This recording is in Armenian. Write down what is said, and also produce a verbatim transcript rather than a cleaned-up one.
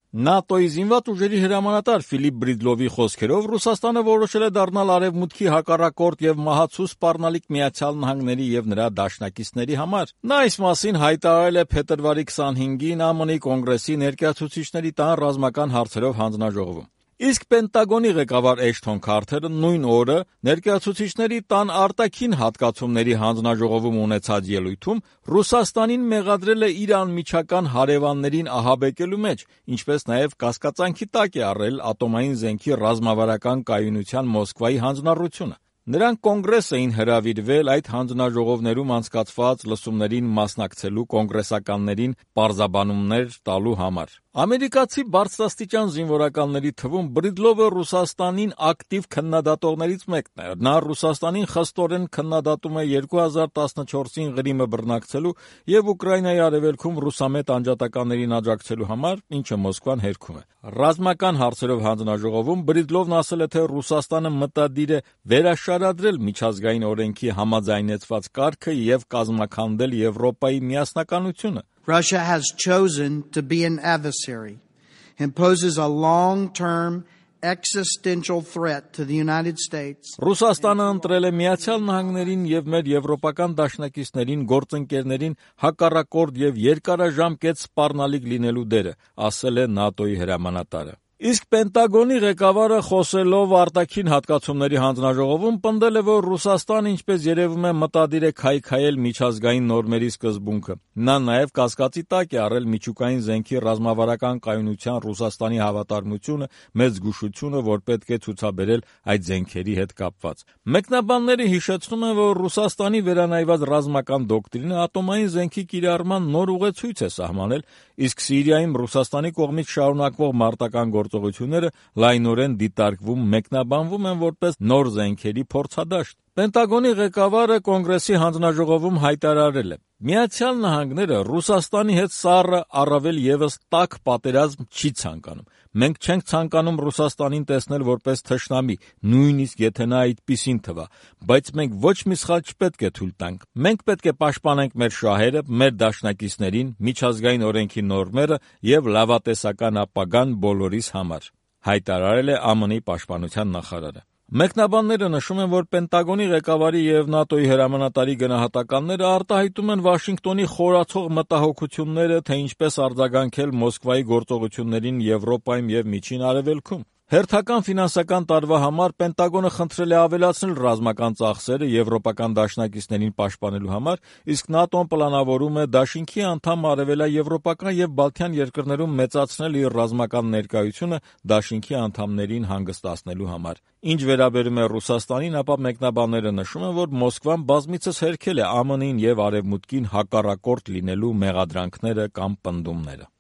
ՆԱՏՕ-ի զինված ուժերի հրամանատար Ֆիլիպ Բրիդլովի խոսքերով Ռուսաստանը որոշել է դառնալ Արևմուտքի հակառակորդ եւ մահացու սպառնալիք Միացյալ Նահանգների եւ նրա դաշնակիցների համար։ Նա այս մասին հայտարարել է փետրվարի քսանհինգին ԱՄՆ-ի Կոնգրեսի ներկայացուցիչների տան ռազմական հարցերով հանձնաժողովում։ Իսկ Պենտագոնի ղեկավար Էշթոն Քարթերը նույն օրը ներկայացուցիչների տան արտաքին հատկացումների հանձնաժողովում ունեցած ելույթում Ռուսաստանին մեղադրել է իր անմիջական հարևաններին ահաբեկելու մեջ, ինչպես նաև կասկածանքի տակ է առել ատոմային զենքի ռազմավարական կայունության Մոսկվայի հանձնառությունը։ Նրանք Կոնգրես էին հրավիրվել այդ հանձնաժողովներում անցկացված լսումներին մասնակցելու կոնգրեսականներին պարզաբանումներ տալու համար։ Ամերիկացի բարձրաստիճան զինվորականների թվում Բրիդլովը Ռուսաստանին ակտիվ քննադատողներից մեկն է։ Նա Ռուսաստանին խստորեն քննադատում է երկու հազար տասնչորսին Ղրիմը բռնակցելու եւ Ուկրաինայի արևելքում ռուսամետ անջատականներին աջակցելու համար, ինչը Մոսկվան հերքում է։ Ռազմական հարցերով հանձնաժողովում Բրիդլովն ասել է, թե Ռուսաստանը մտադիր է վերաշարադրել միջազգային օրենքի համաձայնեցված կարգը եւ կազմաքանդել Եվրոպայի միասնականությունը։ Russia has chosen to be an adversary and poses a long-term existential threat to the United States. Ռուսաստանը ընտրել է Միացյալ Նահանգներին եւ մեր եվրոպական դաշնակիցներին, գործընկերներին հակառակորդ եւ երկարաժամկետ սպառնալիք լինելու դերը, ասել է ՆԱՏՕ-ի հրամանատարը։ Իսկ Պենտագոնի ղեկավարը խոսելով արտաքին հատկացումների հանձնաժողովում պնդել է, որ Ռուսաստանը, ինչպես երևում է, մտադիր է քայքայել միջազգային նորմերի սկզբունքը։ Նա նաև կասկածի տակ է առել միջուկային զենքի ռազմավարական կայունության Ռուսաստանի հավատարմությունը, մեծ զգուշությունը, որ պետք է ցուցաբերել այդ զենքերի հետ կապված։ Մեկնաբանները հիշեցնում են, որ Ռուսաստանի վերանայված ռազմական դոկտրինը ատոմային զենքի կիրառման նոր ուղեցույց է սահմանել, իսկ Սիրիայում Ռուսաստանի կողմից շարունակվող մարտական գործողությունները լայնորեն դիտարկվում, մեկնաբանվում են որպես նոր զենքերի փորձադաշտ։ Պենտագոնի ղեկավարը Կոնգրեսի հանձնաժողովում հայտարարել է. Միացյալ Նահանգները Ռուսաստանի հետ սառը առավել եւս տաք պատերազմ չի ցանկանում։ Մենք չենք ցանկանում Ռուսաստանին տեսնել որպես թշնամի, նույնիսկ եթե նա այդպիսին թվա, բայց մենք ոչ մի սխալ չպետք է թույլ տանք։ Մենք պետք է պաշտպանենք մեր շահերը, մեր դաշնակիցներին, միջազգային օրենքի նորմերը եւ լավատեսական ապագան բոլորիս համար, հայտարարել է ԱՄՆ-ի պաշտպանության նախարարը։ Մեկնաբանները նշում են, որ Պենտագոնի ղեկավարի եւ ՆԱՏՕ-ի հրամանատարի գնահատականները արտահայտում են Վաշինգտոնի խորացող մտահոգությունները, թե ինչպես արձագանքել Մոսկվայի գործողություններին Եվրոպայում եւ Միջին Արևելքում։ Հերթական ֆինանսական տարվա համար Պենտագոնը խնդրել է ավելացնել ռազմական ծախսերը եվրոպական դաշնակիցներին պաշտպանելու համար, իսկ ՆԱՏՕ-ն պլանավորում է դաշինքի անդամ արևելաեվրոպական եւ բալթյան երկրներում մեծացնել իր ռազմական ներկայությունը դաշինքի անդամներին հանգստացնելու համար։ Ինչ վերաբերում է Ռուսաստանին, ապա մեկնաբանները նշում են, որ Մոսկվան բազմիցս հերքել է ԱՄՆ-ին եւ Արևմուտքին հակառակորդ լինելու մեղադրանքները կամ պնդումները։